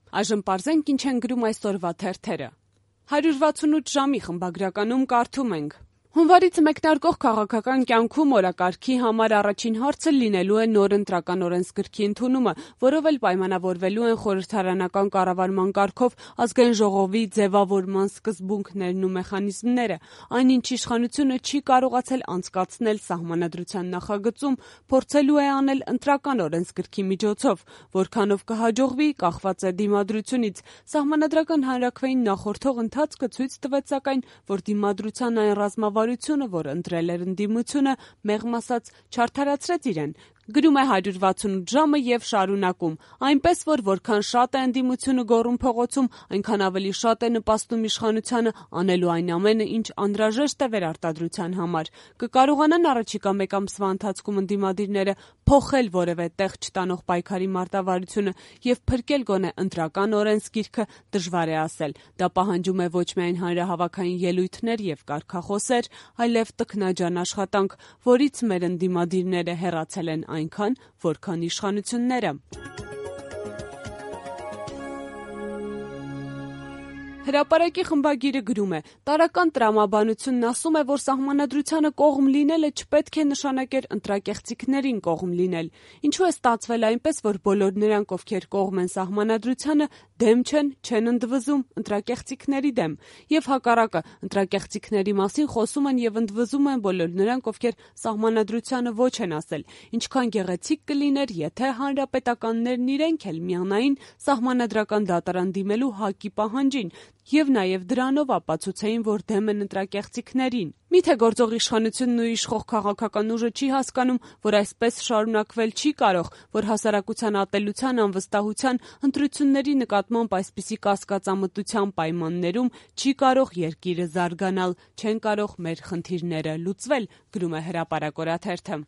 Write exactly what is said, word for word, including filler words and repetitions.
Այժմ պարզենք ինչ են գրում այսօրվա թերթերը։ հարյուր վաթսունութ ժամի խմբագրականում կարդում ենք. Հունվարից մեկնարկող քաղաքական կյանքում օրակարգի համար առաջին հարցը լինելու է նոր ընտրական օրենսգրքի ընդունումը, որով էլ պայմանավորվելու են խորհրդարանական կառավարման կարգով ազգային ժողովի ձևավորման սկզբունքներն ու մեխանիզմները, այնինչ իշխանությունը չի կարողացել անցկացնել սահմանադրության նախագծում, փորձելու է անել ընտրական օրենսգրքի միջոցով, որքանով կհաջողվի, կախված է դիմադրությունից։ Սահմանադրական հանրաքվեին նախորդող ընթացքը ցույց տվեց սակայն, որ դիմադրության այն ռազմավարությունը, որ ընտրել էր ընդդիմությունը, մեղմ ասած չարդարացրեց իրեն։ Գրում է հարյուր վաթսունութ ժամը եւ շարունակում. այնպես որ որքան շատ է ընդդիմությունը գոռում փողոցում, այնքան ավելի շատ է նպաստում իշխանությանը անելու այն ամենը, ինչ անհրաժեշտ է վերարտադրության համար։ Կկարողանան առաջիկա մեկ ամսվա ընթացքում ընդդիմադիրները փոխել որևէ տեղ չտանող պայքարի մարտավարությունը եւ փրկել գոնե ընտրական օրենսգիրքը, դժվար է ասել։ Դա պահանջում է ոչ միայն հանրահավաքային ելույթներ եւ կարգախոսեր, այլև տքնաջան աշխատանք, որից մեր ընդդիմադիրները հեռացել են այնքան, որքան իշխանությունները։ Հրապարակի խմբագիրը գրում է. տարրական տրամաբանությունն ասում է, որ սահմանադրությանը կողմ լինելը չպետք է նշանակեր ընտրակեղծիքներին կողմ լինել։ Ինչու է ստացվել այնպես, որ բոլոր նրանք, ովքեր կողմ են սահմանադրությանը, դեմ չեն, չեն ընդվզում ընտրակեղծիքների դեմ։ Եվ հակառակը, ընտրակեղծիքների մասին խոսում են եւ ընդվզում են բոլոր նրանք, ովքեր սահմանադրությանը ոչ են ասել։ Ինչքան գեղեցիկ կլիներ, եթե հանրապետականներն իրենք էլ միանային սահմանադրական դատարան դիմելու ՀԱԿ-ի պահանջին եւ նաեւ դրանով ապացուցեին, որ դեմ են ընտրակեղծիքներին։ Միթե գործող իշխանությունն ու իշխող քաղաքական ուժը չի հասկանում, որ այսպես շարունակվել չի կարող, որ հասարակության ատելության, անվստահության, ընտրությունների նկատմամբ այսպիսի կասկածամտության պայմաններում չի կարող երկիրը զարգանալ, չեն կարող մեր խնդիրները լուծվել, գրում է Հրապարակ օրաթերթը։